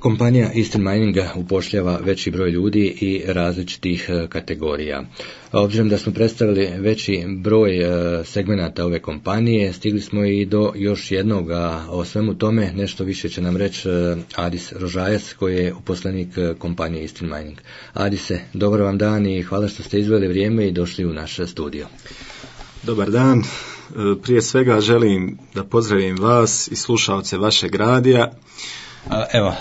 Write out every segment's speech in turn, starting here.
kompanija Eastern Mininga upošljava veći broj ljudi i različitih kategorija. Obzirom da smo predstavili veći broj segmenata ove kompanije, stigli smo i do još jednog, a o svemu tome nešto više će nam reći Adis Rožajac, koji je uposlenik kompanije Eastern Mining. Adise, dobar vam dan i hvala što ste izveli vrijeme i došli u naš studio. Dobar dan. Prije svega želim da pozdravim vas i slušaoce vašeg radija. Evo,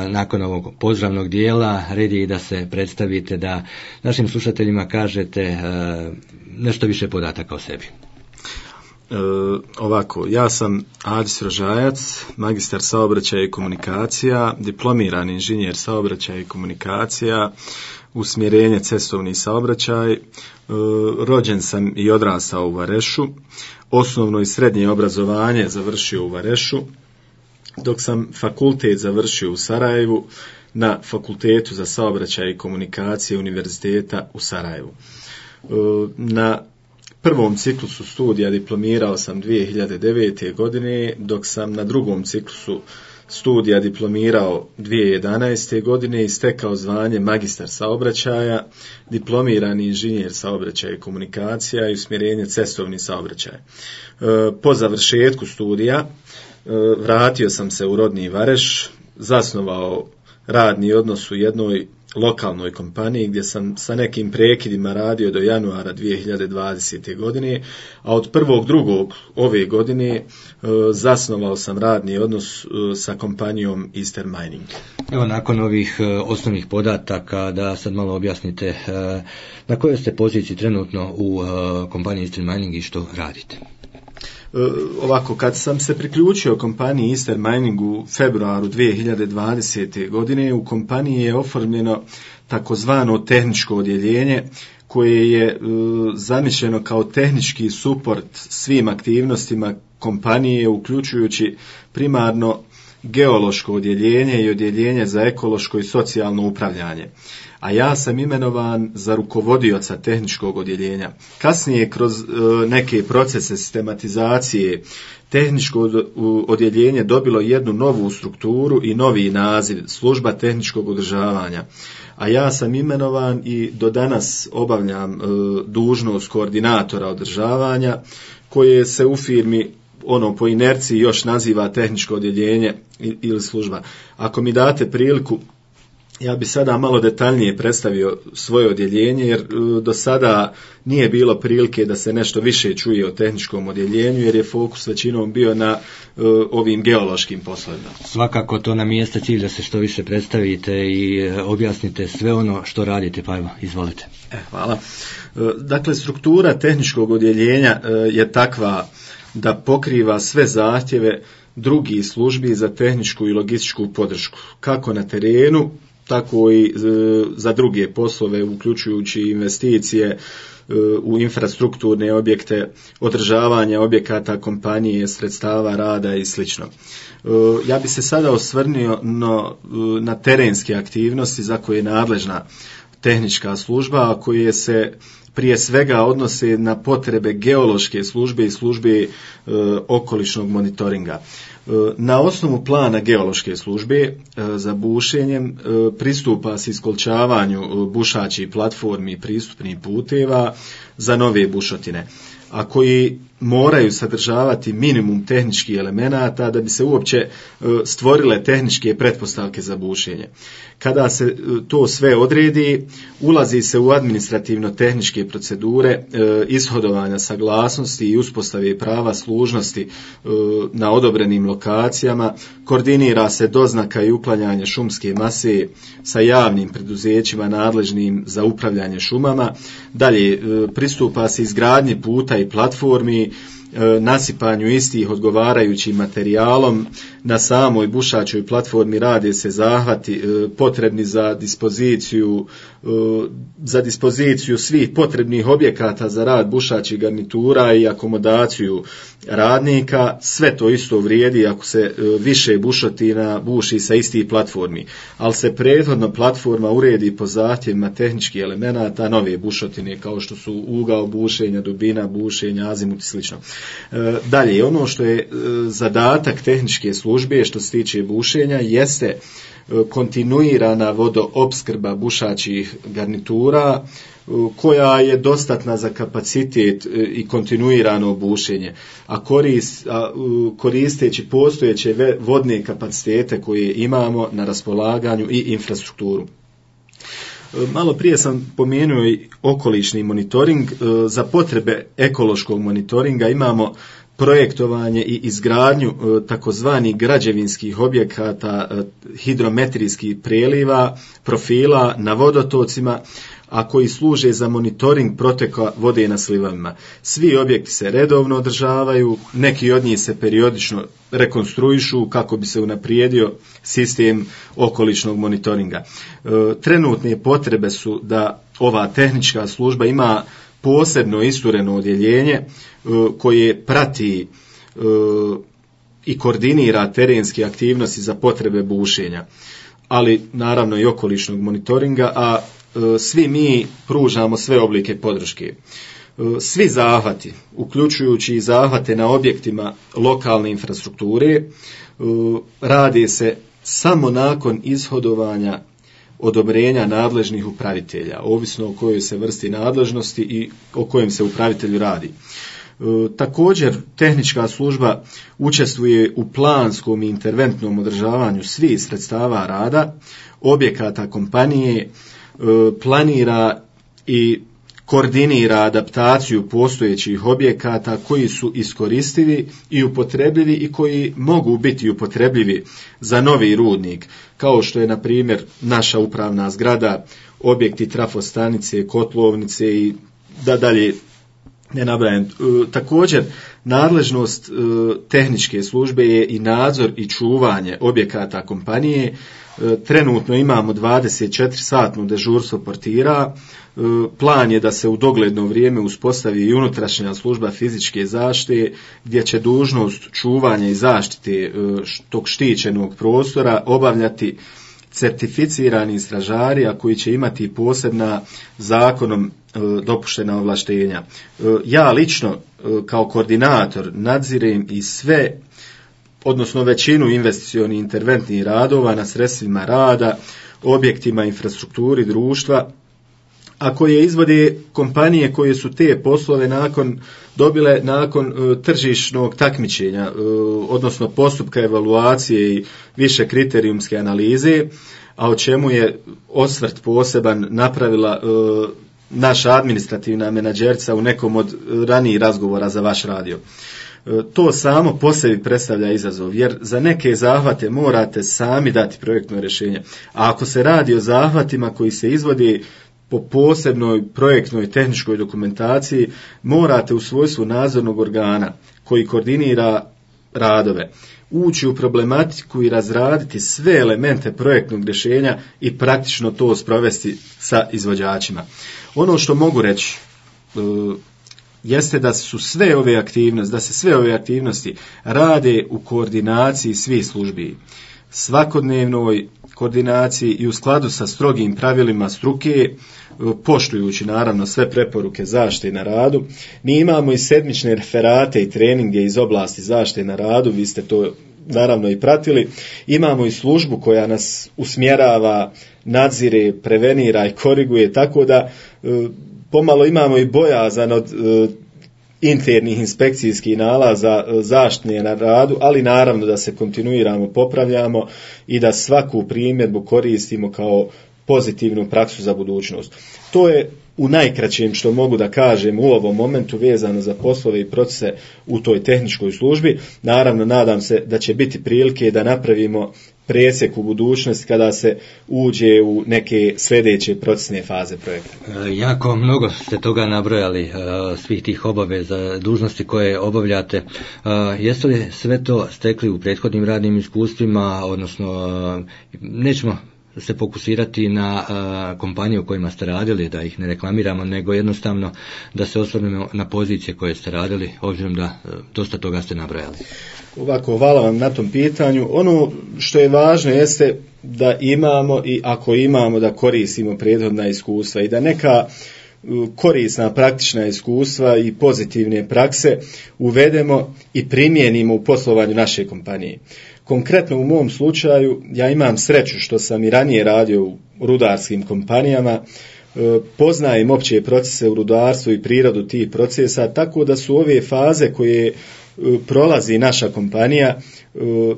nakon ovog pozdravnog dijela, red je i da se predstavite, da našim slušateljima kažete nešto više podataka o sebi. Ovako, ja sam Adis Rožajac, magistar saobraćaja i komunikacija, diplomirani inženjer saobraćaja i komunikacija, usmjerenje cestovni saobraćaj. Rođen sam i odrastao u Varešu, osnovno i srednje obrazovanje završio u Varešu, dok sam fakultet završio u Sarajevu na Fakultetu za saobraćaj i komunikacije Univerziteta u Sarajevu. Na prvom ciklusu studija diplomirao sam 2009. godine, dok sam na drugom ciklusu studija diplomirao 2011. godine i stekao zvanje magistar saobraćaja, diplomirani inženjer saobraćaja i komunikacija i usmjerenje cestovni saobraćaj. Po završetku studija vratio sam se u rodni Vareš, zasnovao radni odnos u jednoj lokalnoj kompaniji gdje sam sa nekim prekidima radio do januara 2020. godine, a od 1.2. ove godine zasnovao sam radni odnos sa kompanijom Eastern Mining. Evo, nakon ovih osnovnih podataka, da sad malo objasnite na kojoj ste poziciji trenutno u kompaniji Eastern Mining i što radite. Ovako, kad sam se priključio kompaniji Eastern Mining u februaru 2020. godine, u kompaniji je oformljeno takozvano tehničko odjeljenje koje je zamišljeno kao tehnički suport svim aktivnostima kompanije, uključujući primarno geološko odjeljenje i odjeljenje za ekološko i socijalno upravljanje. A ja sam imenovan za rukovodioca tehničkog odjeljenja. Kasnije, kroz neke procese sistematizacije, tehničko odjeljenje dobilo jednu novu strukturu i novi naziv, služba tehničkog održavanja. A ja sam imenovan i do danas obavljam dužnost koordinatora održavanja, koje se u firmi po inerciji još naziva tehničko odjeljenje ili služba. Ako mi date priliku, ja bi sada malo detaljnije predstavio svoje odjeljenje, jer do sada nije bilo prilike da se nešto više čuje o tehničkom odjeljenju, jer je fokus većinom bio na ovim geološkim poslovima. Svakako, to nam jeste cilj da se što više predstavite i objasnite sve ono što radite, pa evo, izvolite. Hvala. Dakle, struktura tehničkog odjeljenja je takva da pokriva sve zahtjeve drugih službi za tehničku i logističku podršku, kako na terenu, tako i za druge poslove, uključujući investicije u infrastrukturne objekte, održavanje objekata kompanije, sredstava rada i sl. Ja bi se sada osvrnio na terenske aktivnosti za koje je nadležna tehnička služba, a koje se prije svega odnose na potrebe geološke službe i službe okolišnog monitoringa. Na osnovu plana geološke službe za bušenjem pristupa se iskolčavanju bušačih platformi i pristupnih puteva za nove bušotine, a koji moraju sadržavati minimum tehničkih elemenata da bi se uopće stvorile tehničke pretpostavke za bušenje. Kada se to sve odredi, ulazi se u administrativno-tehničke procedure ishodovanja saglasnosti i uspostave prava služnosti na odobrenim lokacijama, koordinira se doznaka i uklanjanje šumske mase sa javnim preduzećima nadležnim za upravljanje šumama. Dalje, pristupa se izgradnji puta i platformi, nasipanju istih odgovarajućim materijalom. Na samoj bušačoj platformi rade se zahvati potrebni za dispoziciju svih potrebnih objekata za rad bušačih garnitura i akomodaciju radnika. Sve to isto vrijedi ako se više bušotina buši sa istih platformi, ali se prethodno platforma uredi po zahtjevima tehničkih elemenata nove bušotine, kao što su ugao bušenja, dubina bušenja, azimut i sl. Dalje, ono što je zadatak tehničke službe što se tiče bušenja jeste kontinuirana vodoopskrba bušačih garnitura koja je dostatna za kapacitet i kontinuirano bušenje, a koristeći postojeće vodne kapacitete koje imamo na raspolaganju i infrastrukturu. Malo prije sam pomenuo i okolišni monitoring. Za potrebe ekološkog monitoringa imamo projektovanje i izgradnju takozvanih građevinskih objekata hidrometrijskih preliva, profila na vodotocima, a koji služe za monitoring proteka vode na slivovima. Svi objekti se redovno održavaju, neki od njih se periodično rekonstruišu kako bi se unaprijedio sistem okolišnog monitoringa. Trenutne potrebe su da ova tehnička služba ima posebno istureno odjeljenje koje prati i koordinira terenske aktivnosti za potrebe bušenja, ali naravno i okolišnog monitoringa, a svi mi pružamo sve oblike podrške. Svi zahvati, uključujući i zahvate na objektima lokalne infrastrukture, radi se samo nakon ishodovanja odobrenja nadležnih upravitelja, ovisno o kojoj se vrsti nadležnosti i o kojem se upravitelju radi. Također, tehnička služba učestvuje u planskom i interventnom održavanju svih sredstava rada, objekata kompanije, planira i koordinira adaptaciju postojećih objekata koji su iskoristivi i upotrebljivi i koji mogu biti upotrebljivi za novi rudnik, kao što je na primjer naša upravna zgrada, objekti trafostanice, kotlovnice i da dalje ne nabrajam. Također, nadležnost tehničke službe je i nadzor i čuvanje objekata kompanije. Trenutno imamo 24-satno dežurstvo portira. Plan je da se u dogledno vrijeme uspostavi i unutrašnja služba fizičke zaštite gdje će dužnost čuvanja i zaštite tog štićenog prostora obavljati certificirani stražari, a koji će imati posebna zakonom dopuštena ovlaštenja. Ja lično kao koordinator nadzirem i sve, odnosno većinu investicionih interventnih radova na sredstvima rada, objektima, infrastrukturi društva, a koje izvode kompanije koje su te poslove dobile nakon tržišnog takmičenja, odnosno postupka evaluacije i više kriterijumske analize, a o čemu je osvrt poseban napravila naša administrativna menadžerica u nekom od ranijih razgovora za vaš radio. To samo po sebi predstavlja izazov, jer za neke zahvate morate sami dati projektno rješenje. A ako se radi o zahvatima koji se izvodi po posebnoj projektnoj tehničkoj dokumentaciji, morate u svojstvu nadzornog organa koji koordinira radove ući u problematiku i razraditi sve elemente projektnog rješenja i praktično to sprovesti sa izvođačima. Ono što mogu reći jeste da se sve ove aktivnosti rade u koordinaciji svih službi, svakodnevnoj koordinaciji i u skladu sa strogim pravilima struke, poštujući naravno sve preporuke zaštite na radu. Mi imamo i sedmične referate i treninge iz oblasti zaštite na radu, vi ste to naravno i pratili. Imamo i službu koja nas usmjerava, nadzire, prevenira i koriguje, tako da pomalo imamo i bojazan od internih inspekcijskih nalaza zaštite na radu, ali naravno da se kontinuirano popravljamo i da svaku primjedbu koristimo kao pozitivnu praksu za budućnost. To je u najkraćem što mogu da kažem u ovom momentu vezano za poslove i procese u toj tehničkoj službi. Naravno, nadam se da će biti prilike da napravimo presjek u budućnosti kada se uđe u neke sljedeće procesne faze projekta. Jako mnogo ste toga nabrojali, svih tih obaveza, dužnosti koje obavljate. Jeste li sve to stekli u prethodnim radnim iskustvima, odnosno nećemo se fokusirati na kompanije u kojima ste radili, da ih ne reklamiramo, nego jednostavno da se osvrnemo na pozicije koje ste radili, obzirom da dosta toga ste nabrojali. Ovako, hvala vam na tom pitanju. Ono što je važno jeste da imamo i ako imamo da koristimo prethodna iskustva i da neka korisna praktična iskustva i pozitivne prakse uvedemo i primijenimo u poslovanju naše kompanije. Konkretno u mom slučaju ja imam sreću što sam i ranije radio u rudarskim kompanijama, poznajem opće procese u rudarstvu i prirodu tih procesa, tako da su ove faze koje prolazi naša kompanija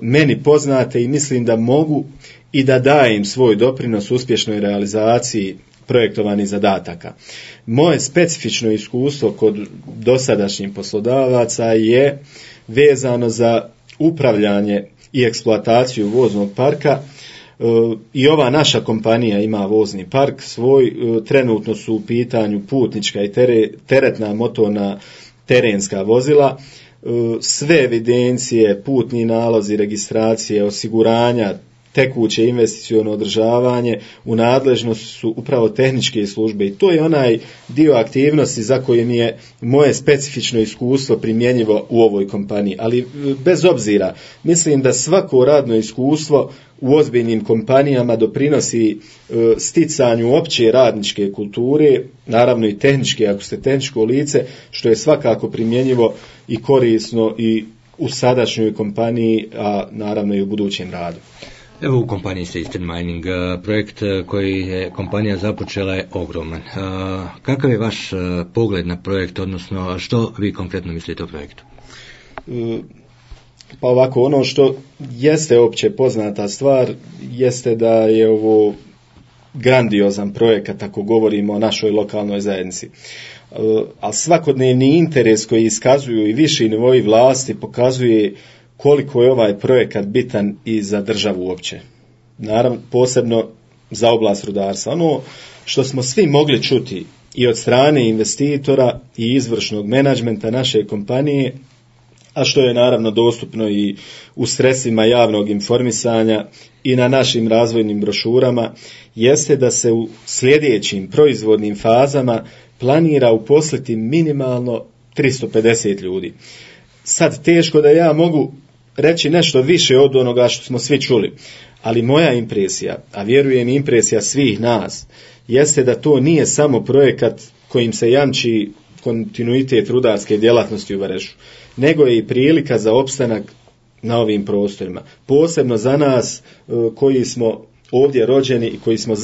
meni poznate i mislim da mogu i da dajem svoj doprinos uspješnoj realizaciji projektovanih zadataka. Moje specifično iskustvo kod dosadašnjih poslodavaca je vezano za upravljanje i eksploataciju voznog parka. I ova naša kompanija ima vozni park svoj, trenutno su u pitanju putnička i teretna motorna terenska vozila, sve evidencije, putni nalozi, registracije, osiguranja, tekuće investiciono održavanje u nadležnosti su upravo tehničke službe i to je onaj dio aktivnosti za koje mi je moje specifično iskustvo primjenjivo u ovoj kompaniji. Ali bez obzira, mislim da svako radno iskustvo u ozbiljnim kompanijama doprinosi sticanju opće radničke kulture, naravno i tehničke, ako ste tehničko lice, što je svakako primjenjivo i korisno i u sadašnjoj kompaniji, a naravno i u budućem radu. Evo u kompaniji Eastern Mining, projekt koji je kompanija započela je ogroman. Kakav je vaš pogled na projekt, odnosno što vi konkretno mislite o projektu? Pa ovako, ono što jeste opće poznata stvar, jeste da je ovo grandiozan projekat ako govorimo o našoj lokalnoj zajednici. A svakodnevni interes koji iskazuju i viši nivoi vlasti pokazuje koliko je ovaj projekat bitan i za državu uopće. Naravno, posebno za oblast rudarstva. Ono što smo svi mogli čuti i od strane investitora i izvršnog menadžmenta naše kompanije, a što je naravno dostupno i u sredstvima javnog informisanja i na našim razvojnim brošurama, jeste da se u sljedećim proizvodnim fazama planira uposliti minimalno 350 ljudi. Sad teško da ja mogu reći nešto više od onoga što smo svi čuli, ali moja impresija, a vjerujem impresija svih nas, jeste da to nije samo projekat kojim se jamči kontinuitet rudarske djelatnosti u Varešu, nego je i prilika za opstanak na ovim prostorima. Posebno za nas koji smo ovdje rođeni i koji smo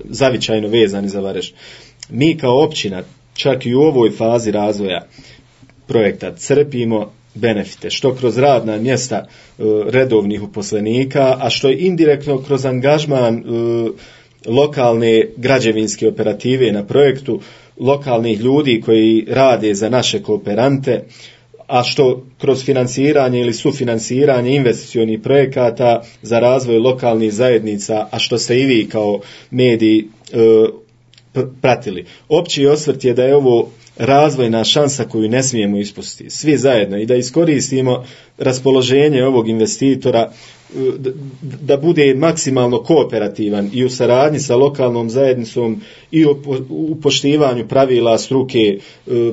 zavičajno vezani za Vareš. Mi kao općina, čak i u ovoj fazi razvoja projekta, crpimo benefite, što kroz radna mjesta redovnih uposlenika, a što je indirektno kroz angažman lokalne građevinske operative na projektu, lokalnih ljudi koji rade za naše kooperante, a što kroz financiranje ili sufinanciranje investicionih projekata za razvoj lokalnih zajednica, a što ste i vi kao mediji pratili. Opći osvrt je da je ovo razvojna šansa koju ne smijemo ispustiti svi zajedno i da iskoristimo raspoloženje ovog investitora da bude maksimalno kooperativan i u saradnji sa lokalnom zajednicom i u poštivanju pravila struke,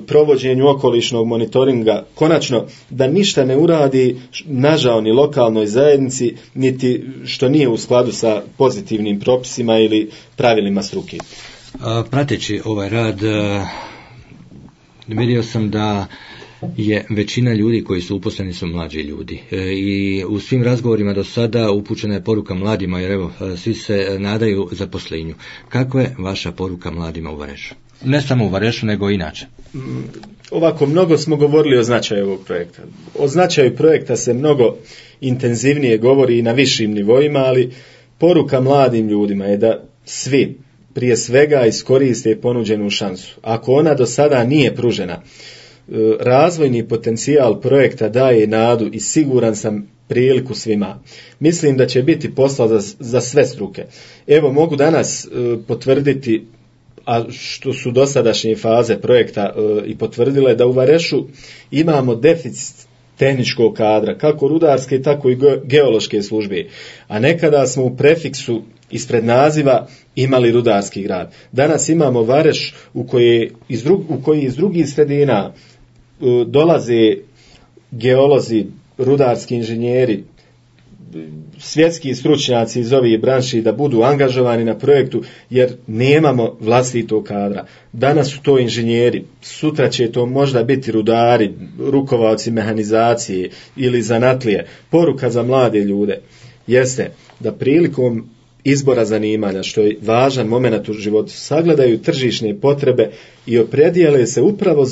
provođenju okolišnog monitoringa, konačno da ništa ne uradi nažao ni lokalnoj zajednici, niti što nije u skladu sa pozitivnim propisima ili pravilima struke. Prateći ovaj rad, vidio sam da je većina ljudi koji su uposleni su mlađi ljudi i u svim razgovorima do sada upućena je poruka mladima, jer evo svi se nadaju zaposlenju. Kakva je vaša poruka mladima u Varešu? Ne samo u Varešu, nego i inače. Ovako, mnogo smo govorili o značaju ovog projekta. O značaju projekta se mnogo intenzivnije govori i na višim nivoima, ali poruka mladim ljudima je da svi prije svega iskoriste ponuđenu šansu. Ako ona do sada nije pružena, razvojni potencijal projekta daje nadu i siguran sam priliku svima. Mislim da će biti posla za sve struke. Evo, mogu danas potvrditi, a što su dosadašnje faze projekta i potvrdile, da u Varešu imamo deficit tehničkog kadra, kako rudarske, tako i geološke službe. A nekada smo u prefiksu ispred naziva imali rudarski grad. Danas imamo Vareš u koji iz drugih sredina dolaze geolozi, rudarski inženjeri, svjetski stručnjaci iz ovih branši da budu angažovani na projektu, jer nemamo vlastitog kadra. Danas su to inženjeri, sutra će to možda biti rudari, rukovaoci mehanizacije ili zanatlije. Poruka za mlade ljude jeste da prilikom izbora zanimanja, što je važan moment u životu, sagledaju tržišne potrebe i opredijele se upravo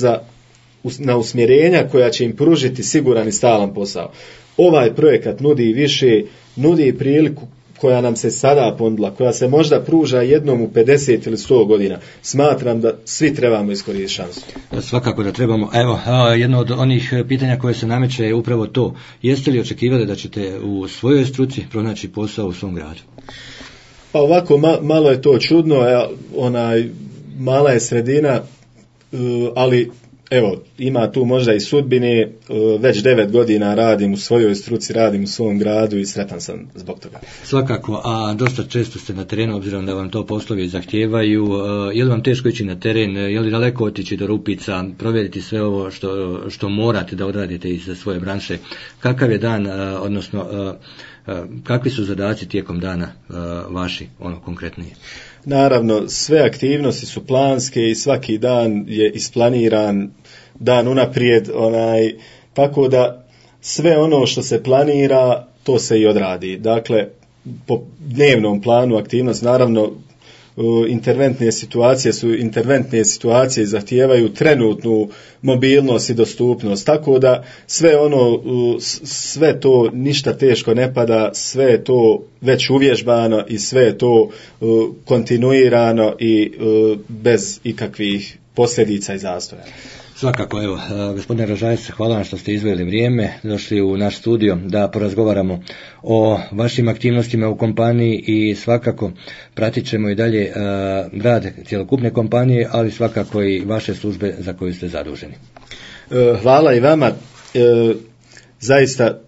na usmjerenja koja će im pružiti siguran i stalan posao. Ovaj projekat nudi više, nudi priliku koja nam se sada ponudila, koja se možda pruža jednom u 50 ili 100 godina. Smatram da svi trebamo iskoristiti šansu. Svakako da trebamo. Evo, jedno od onih pitanja koje se nameće je upravo to. Jeste li očekivali da ćete u svojoj struci pronaći posao u svom gradu? Pa ovako, malo je to čudno, mala je sredina, ali evo, ima tu možda i sudbine, već 9 godina radim u svojoj struci, radim u svom gradu i sretan sam zbog toga. Svakako, a dosta često ste na terenu, obzirom da vam to poslovi zahtijevaju, je li vam teško ići na teren, je li daleko otići do Rupica, provjeriti sve ovo što morate da odradite iz svoje branše, kakav je dan, odnosno kakvi su zadaci tijekom dana vaši, konkretnije? Naravno, sve aktivnosti su planske i svaki dan je isplaniran dan unaprijed, tako da sve ono što se planira, to se i odradi. Dakle, po dnevnom planu aktivnost, naravno, interventne situacije i zahtijevaju trenutnu mobilnost i dostupnost, tako da sve to ništa teško ne pada, sve je to već uvježbano i sve je to kontinuirano i bez ikakvih posljedica i zastoja. Svakako, evo, gospodine Rožajac, hvala vam što ste izdvojili vrijeme, došli u naš studio da porazgovaramo o vašim aktivnostima u kompaniji i svakako pratit ćemo i dalje rad cjelokupne kompanije, ali svakako i vaše službe za koju ste zaduženi. Hvala i vama, zaista,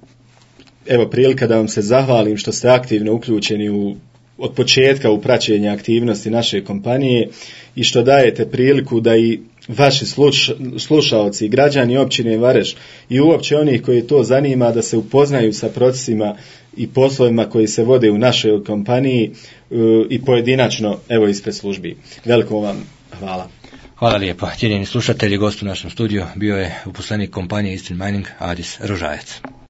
evo prilika da vam se zahvalim što ste aktivno uključeni od početka u praćenje aktivnosti naše kompanije i što dajete priliku da i vaši slušaoci, građani općine Vareš i uopće onih koji to zanima da se upoznaju sa procesima i poslovima koji se vode u našoj kompaniji i pojedinačno, evo ispred službi. Veliko vam hvala. Hvala lijepo. Cijenjeni slušatelji, gost u našem studiju bio je uposlenik kompanije Eastern Mining Adis Rožajac.